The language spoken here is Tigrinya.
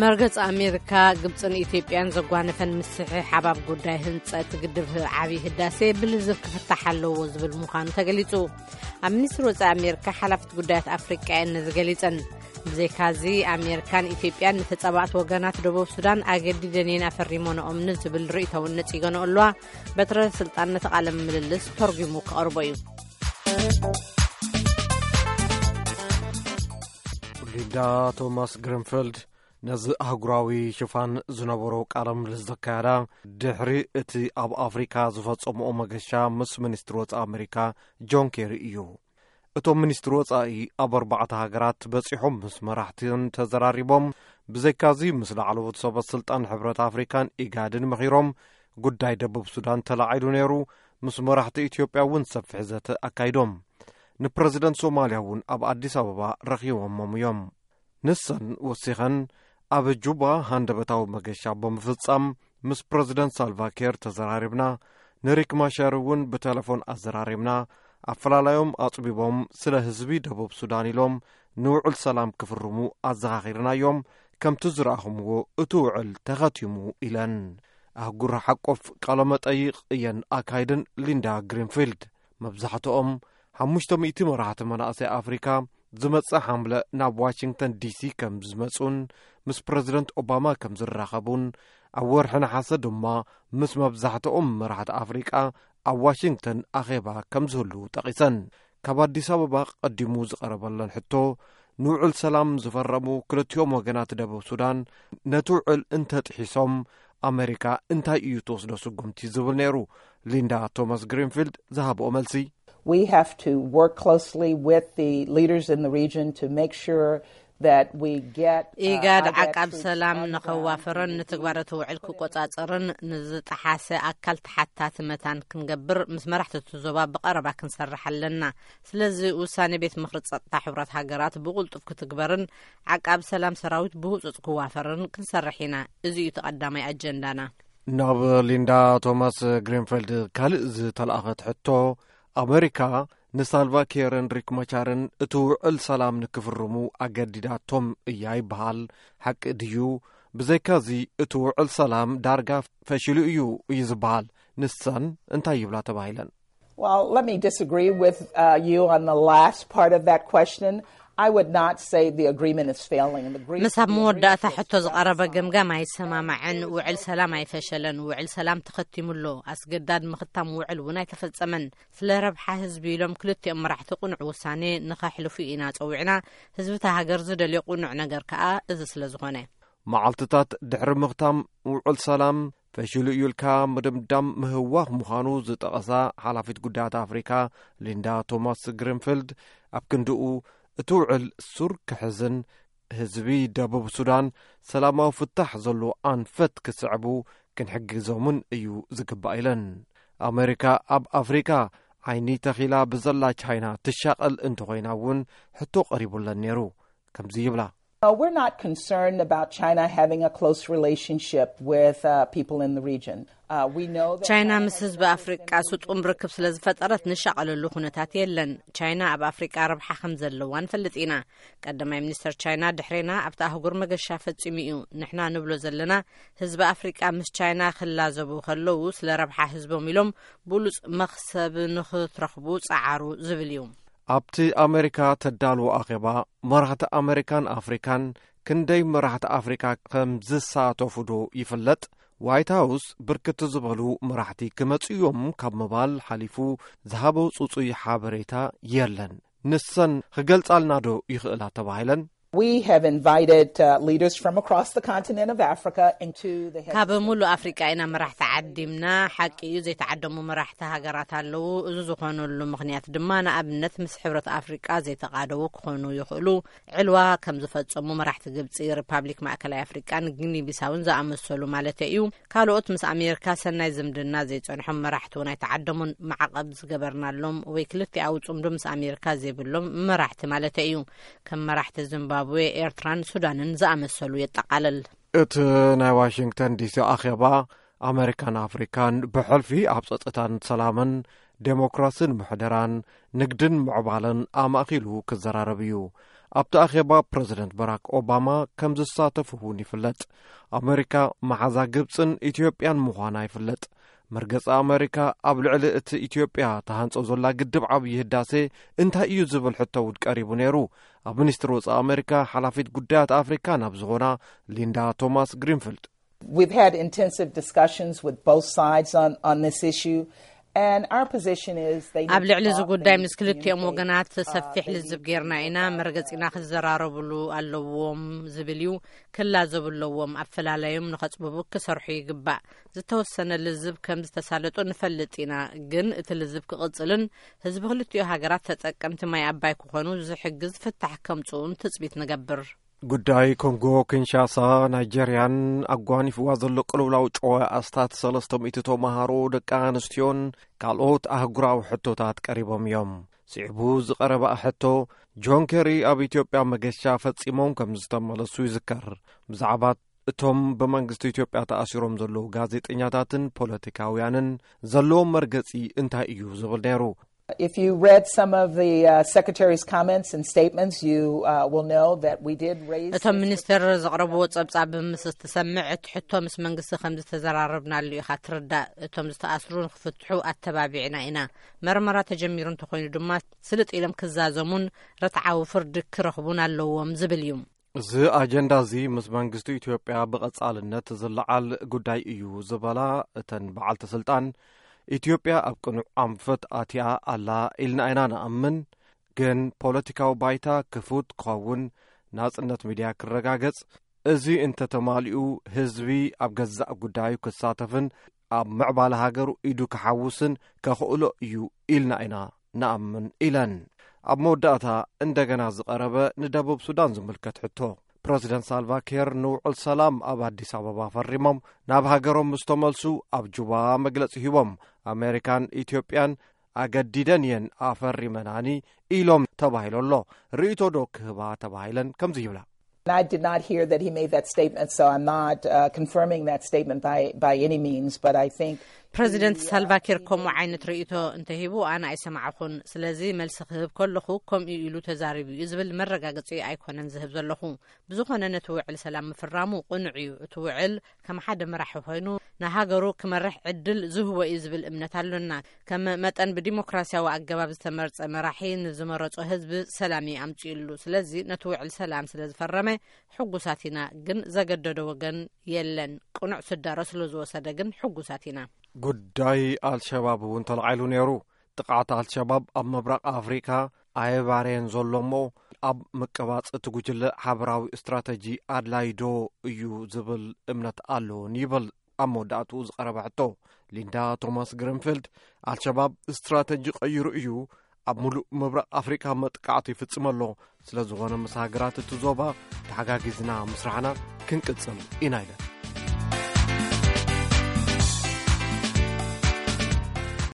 መርገጽ ኣሜሪካ፣ ግብጽን ኢትዮጵያን ዘጓነፈን ምስሕሓብ ኣብ ጉዳይ ህንጸት ግድብ ዓብዪ ህዳሴ ብልዝብ ክፍታሕ ኣለዎ ዝብል ምዃኑ ተገሊጹ። ኣብ ሚኒስትሪ ወጻኢ ኣሜሪካ፣ ሓላፊት ጉዳያት ኣፍሪቃ እየን ነዚ ገሊጸን። ብዘይካዚ፣ ኣሜሪካን ኢትዮጵያን ንተጻባእቲ ወገናት ደቡብ ሱዳን ኣገዲደን እየን ኣፈሪሞንኦም ንዝብል ርእይቶ እውን ነጺገንኦ ኣለዋ። በትረ ስልጣን ነቲ ቃለ ምልልስ ተርጒሙ ክቐርቦ እዩ። ሊንዳ ቶማስ ግሪንፊልድ ነዚ ኣህጉራዊ ሽፋን ዝነበሮ ቃለ ምልልስ ዘካየዳ ድሕሪ እቲ ኣብ ኣፍሪካ ዝፈጸምኦ መገሻ ምስ ሚኒስትሪ ወጻኢ ኣሜሪካ ጆን ኬሪ እዩ። እቶም ሚኒስትሪ ወጻኢ ኣብ ኣርባዕተ ሃገራት በጺሖም ምስ መራሕትን ተዘራሪቦም፣ ብዘይካዚ ምስ ላዕለዎት ሰበ ስልጣን ሕብረት ኣፍሪካን ኢጋድን መኺሮም፣ ጉዳይ ደቡብ ሱዳን ተላዒሉ ነይሩ። ምስ መራሕቲ ኢትዮጵያ እውን ሰፊሕ ዘተ ኣካይዶም። ንፕረዚደንት ሶማልያ እውን ኣብ ኣዲስ ኣበባ ረኺቦሞም እዮም። ንሰን ወሲኸን፣ ኣብ ጁባ ሃንደበታዊ መገሻ ብምፍጻም ምስ ፕረዚደንት ሳልቫ ኪር ተዘራሪብና፣ ንሪክ ማሻር እውን ብቴሌፎን ኣዘራሪብና፣ ኣፈላላዮም ኣጽቢቦም ስለ ህዝቢ ደቡብ ሱዳን ኢሎም ንውዕል ሰላም ክፍርሙ ኣዘኻኺርናዮም። ከምቲ ዝረኣኹምዎ እቲ ውዕል ተኸቲሙ ኢለን። ኣህጉር ሓቆፍ ቃለመጠይቕ እየን ኣካይደን ሊንዳ ግሪንፊልድ። መብዛሕትኦም ሓሙሽተ ሚእቲ መራሕቲ መናእሰይ ኣፍሪካ ዝመጽእ ሓምለ ናብ ዋሽንግተን ዲሲ ከም ዝመጹን ምስ ፕረዚደንት ኦባማ ከም ዝራኸቡን ኣብ ወርሒ ነሓሰ ድማ ምስ መብዛሕትኦም መራሕቲ ኣፍሪቃ ኣብ ዋሽንግተን ኣኼባ ከም ዝህልዉ ጠቒሰን። ካብ ኣዲስ ኣበባ ቀዲሙ ዝቐረበለን ሕቶ፣ ንውዕል ሰላም ዝፈረሙ ክልቲኦም ወገናት ደቡብ ሱዳን ነቲ ውዕል እንተጥሒሶም ኣሜሪካ እንታይ እዩ ትወስዶ ስጉምቲ ዝብል ነይሩ። ሊንዳ ቶማስ ግሪንፊልድ ዝሃብኦ መልሲ፣ We have to work closely with the leaders in the region to make sure that we get, uh, ኢጋድ IGAD ዓቃብ troops ሰላም on the ground ንኸዋፍርን to ንትግባረ እቲ ውዕል ክቆጻጸርን ንዝጠሓሰ ኣካል ተሓታቲ መታን ክንገብር ምስ መራሕቲ እቲ ዞባ ብቐረባ ክንሰርሕ ኣለና። ስለዚ ውሳኔ ቤት ምኽሪ ጸጥታ ሕቡራት ሃገራት ብቕልጡፍ ክትግበርን ዓቃብ ሰላም ሰራዊት ብህጹጽ ክዋፈርን ክንሰርሕ ኢና። እዚ እዩ እቲ ቀዳማይ ኣጀንዳና። ናብ ሊንዳ ቶማስ ግሪንፊልድ ካልእ ዝተላእኸት ሕቶ፣ ኣሜሪካ ንሳልቫ ኪርን ሪክ ማቻርን እቲ ውዕል ሰላም ንክፍርሙ ኣገዲዳቶም እያ ይበሃል። ሓቂ ድዩ? ብዘይካዚ እቲ ውዕል ሰላም ዳርጋ ፈሽሉ እዩ እዩ ዝበሃል። ንሰን እንታይ ይብላ ተባሂለን? Well, let me disagree with, uh, you on the last part of that question. I would not say the agreement is failing. The Greek- ምስ ኣብ the መወዳእታ agreement ሕቶ ዝቐረበ ገምጋም ኣይሰማማዕን። ውዕል ሰላም ኣይፈሸለን። ውዕል ሰላም ተኸቲሙ ኣሎ። ኣስገዳድ ምኽታም ውዕል እውን ኣይተፈጸመን። ስለ ረብሓ ህዝቢ ኢሎም ክልቲኦም መራሕቲ ቅኑዕ ውሳኔ ንኸሕልፉ ኢና ጸዊዕና። ህዝቢ እታ ሃገር ዝደልዮ ቅኑዕ ነገር ከኣ እዚ ስለ ዝኾነ። መዓልትታት ድሕሪ ምኽታም ውዕል ሰላም ፈሽሉ እዩ ኢልካ ምድምዳም ምህዋኽ ምዃኑ ዝጠቐሳ ሓላፊት ጉዳያት ኣፍሪካ ሊንዳ ቶማስ ግሪንፊልድ፣ ኣብ ክንድኡ እቲ ውዕል ሱር ክሕዝን ህዝቢ ደቡብ ሱዳን ሰላማዊ ፍታሕ ዘለዎ ኣንፈት ክስዕቡ ክንሕግዞምን እዩ ዝግባእ ኢለን። ኣሜሪካ ኣብ ኣፍሪካ ዓይኒ ተኺላ ብዘላ ቻይና ትሻቐል እንተኾይና እውን ሕቶ ቀሪቡለን ነይሩ። ከምዚ ይብላ። Uh, we're not concerned about China having a close relationship with, uh, people in the region. Uh, we know that ቻይና China ምስ has ህዝቢ no ኣፍሪቃ interest in ስጡም ርክብ ስለ ዝፈጠረት ንሻቐለሉ ኩነታት የለን። ቻይና ኣብ ኣፍሪቃ ረብሓ ከም ዘለዋ ንፈልጥ ኢና። ቀዳማይ ሚኒስተር ቻይና ድሕሬና ኣብቲ ኣህጉር መገሻ ፈጺሙ እዩ። ንሕና ንብሎ ዘለና ህዝቢ ኣፍሪቃ ምስ ቻይና ክላዘቡ ከለዉ ስለ ረብሓ ህዝቦም ኢሎም ብሉጽ መኽሰብ ንኽትረኽቡ ጸዓሩ ዝብል እዩ። ኣብቲ ኣሜሪካ ተዳልዎ ኣኼባ መራሕቲ ኣሜሪካን ኣፍሪካን ክንደይ መራሕቲ ኣፍሪካ ከም ዝሳተፉ ዶ ይፍለጥ? ዋይት ሃውስ ብርክት ዝበሉ መራሕቲ ክመጽኡ እዮም ካብ ምባል ሓሊፉ ዝሃቦ ጽጹይ ሓበሬታ የለን። ንሰን ክገልጻልና ዶ ይኽእላ ተባሂለን? We have invited, uh, leaders from across the continent of Africa into the ካብ ሙሉእ ኣፍሪቃ ኢና መራሕቲ ዓዲምና። ሓቂ እዩ፣ ዘይተዓደሙ መራሕቲ ሃገራት ኣለዉ። እዚ ዝኾነሉ ምኽንያት ድማ ንኣብነት ምስ ሕብረት ኣፍሪቃ ዘይተቓደዉ ክኾኑ ይኽእሉ። ዕልዋ ከም ዝፈጸሙ መራሕቲ ግብጺ፣ ሪፓብሊክ ማእከላይ ኣፍሪቃን ጊኒ ቢሳውን ዝኣመሰሉ ማለት እዩ። ካልኦት ምስ ኣሜሪካ ሰናይ ዝምድና ዘይጸንሖም መራሕቲ እውን ኣይተዓደሙን። ማዕቐብ ዝገበርናሎም ወይ ክልቲኣዊ ጽምዶ ምስ ኣሜሪካ ዘይብሎም መራሕቲ ማለት እዩ። ከም መራሕቲ ዚምባብዌ፣ ኤርትራን ሱዳንን ዝኣመሰሉ የጠቓልል። እቲ ናይ ዋሽንግተን ዲሲ ኣኼባ ኣሜሪካን ኣፍሪካን ብሕልፊ ኣብ ጸጥታን ሰላምን፣ ዴሞክራስን ምሕደራን፣ ንግድን ምዕባለን ኣማእኪሉ ክዘራረብ እዩ። ኣብቲ ኣኼባ ፕረዚደንት ባራክ ኦባማ ከም ዝሳተፉ እውን ይፍለጥ። ኣመሪካ መሓዛ ግብፅን ኢትዮጵያን ምዃና ይፍለጥ። መርገፂ ኣመሪካ ኣብ ልዕሊ እቲ ኢትዮጵያ ተሃንጾ ዘላ ግድብ ዓብዪ ህዳሴ እንታይ እዩ ዝብል ሕቶ እውን ቀሪቡ ነይሩ። ኣብ ሚኒስትሪ ወፃኢ ኣመሪካ ሓላፊት ጉዳያት ኣፍሪካ ናብ ዝኾና ሊንዳ ቶማስ ግሪንፊልድ፣ We've had intensive discussions with both sides on, on this issue, and our position is they ኣብ need ልዕሊ to እዚ talk, ጉዳይ they need ምስ to ክልቲኦም communicate, ወገናት uh, ሰፊሕ they need ልዝብ to, ጌርና ኢና። uh, መርገፂና ክዘራረብሉ ኣለዎም ዝብል እዩ። ክላዘቡ ኣለዎም። ኣፈላለዮም ንኸፅብቡ ክሰርሑ ይግባእ። ዝተወሰነ ልዝብ ከም ዝተሳለጡ ንፈልጥ ኢና፣ ግን እቲ ልዝብ ክቕፅልን ህዝቢ ክልቲኡ ሃገራት ተጠቀምቲ ማይ ኣባይ ክኾኑ ዝሕግዝ ፍታሕ ከምፅኡን ትፅቢት ንገብር። ጉዳይ ኮንጎ ኪንሻሳ ናይጀርያን ኣጓኒፍዋ ዘሎ ቅልውላው ጨዋ ኣስታት ሰለስተ ሚእቲ ተማሃሮ፣ ደቂ ኣንስትዮን ካልኦት ኣህጉራዊ ሕቶታት ቀሪቦም እዮም። ስዒቡ ዝቐረበ ሕቶ፣ ጆን ኬሪ ኣብ ኢትዮጵያ መገሻ ፈጺሞም ከም ዝተመለሱ ይዝከር። ብዛዕባ እቶም ብመንግስቲ ኢትዮጵያ ተኣሲሮም ዘለዉ ጋዜጠኛታትን ፖለቲካውያንን ዘለዎም መርገጺ እንታይ እዩ ዝብል ነይሩ። If you read some of the uh, secretary's comments and statements, you uh, will know that we did raise እቶም this ሚኒስትር ዘቕረብዎ ጸብጻብ ምስ እትሰምዕ፣ እቲ ሕቶ ምስ መንግስቲ ከም ዝተዘራረብናሉ ኢኻ ትርዳእ። እቶም ዝተኣስሩ ንክፍትሑ ኣተባቢዕና ኢና። መርመራ ተጀሚሩ እንተኾይኑ ድማ ስልጥ ኢሎም ክዛዘሙን ርትዓዊ ፍርዲ ክረኽቡን ኣለዎም ዝብል እዩ። እዚ ኣጀንዳ እዚ ምስ መንግስቲ ኢትዮጵያ ብቐጻልነት ዝለዓል ጉዳይ እዩ ዝበላ እተን በዓልቲ ስልጣን፣ ኢትዮጵያ ኣብ ቅኑዕ ኣንፈት ኣትያ ኣላ ኢልና ኢና ንኣምን። ግን ፖለቲካዊ ባይታ ክፉት ክኸውን፣ ናጽነት ሚድያ ክረጋገጽ፣ እዚ እንተተማሊኡ ህዝቢ ኣብ ገዛእ ጉዳዩ ክሳተፍን ኣብ ምዕባለ ሃገሩ ኢዱ ክሓውስን ከኽእሎ እዩ ኢልና ኢና ንኣምን ኢለን። ኣብ መወዳእታ እንደገና ዝቐረበ ንደቡብ ሱዳን ዝምልከት ሕቶ፣ ፕረዚደንት ሳልቫኪር ንውዕል ሰላም ኣብ ኣዲስ ኣበባ ፈሪሞም ናብ ሃገሮም ምስ ተመልሱ ኣብ ጁባ መግለጺ ሂቦም፣ ኣሜሪካን ኢትዮጵያን ኣገዲደን እየን ኣፈሪመናኒ ኢሎም ተባሂሎ ኣሎ። ርእይቶ ዶ ክህባ ተባሂለን ከምዚ ይብላ። And I did not hear that he made that statement, so I'm not uh, confirming that statement by, by any means, but I think ፕረዚደንት ሳልቫኪር ከምኡ ዓይነት ርእይቶ እንተሂቡ ኣነ ኣይሰማዕኹን። ስለዚ መልሲ ክህብ ከለኹ ከምኡ ኢሉ ተዛሪቡ እዩ ዝብል መረጋገጺ ኣይኮነን ዝህብ ዘለኹ። ብዝኾነ ነቲ ውዕል ሰላም ምፍራሙ ቅኑዕ እዩ። እቲ ውዕል ከም ሓደ መራሒ ኮይኑ ንሃገሩ ክመርሕ ዕድል ዝህቦ እዩ ዝብል እምነት ኣሎና። ከም መጠን ብዲሞክራሲያዊ ኣገባብ ዝተመርጸ መራሒ ንዝመረጾ ህዝቢ ሰላም እዩ ኣምጺኡሉ። ስለዚ ነቲ ውዕል ሰላም ስለ ዝፈረመ ሕጉሳት ኢና፣ ግን ዘገደዶ ወገን የለን። ቅኑዕ ስዳሮ ስለ ዝወሰደ ግን ሕጉሳት ኢና። ጉዳይ ኣልሸባብ እውን ተለዓሉ ነይሩ። ጥቕዓት ኣልሸባብ ኣብ ምብራቕ ኣፍሪካ ኣየባረየን ዘሎ እሞ ኣብ ምቅባጽ እቲ ጉጅለ ሓበራዊ ስትራተጂ ኣድላይ ዶ እዩ ዝብል እምነት ኣለዎን ይብል ኣብ መወዳእትኡ ዝቐረበ ሕቶ። ሊንዳ ቶማስ ግሪንፊልድ፣ ኣልሸባብ ስትራተጂ ቀይሩ እዩ ኣብ ሙሉእ ምብራቕ ኣፍሪካ መጥቃዕቲ ይፍጽም ኣሎ። ስለ ዝኾነ ምስ ሃገራት እቲ ዞባ ተሓጋጊዝና ምስራሕና ክንቅጽል ኢና ኢለን።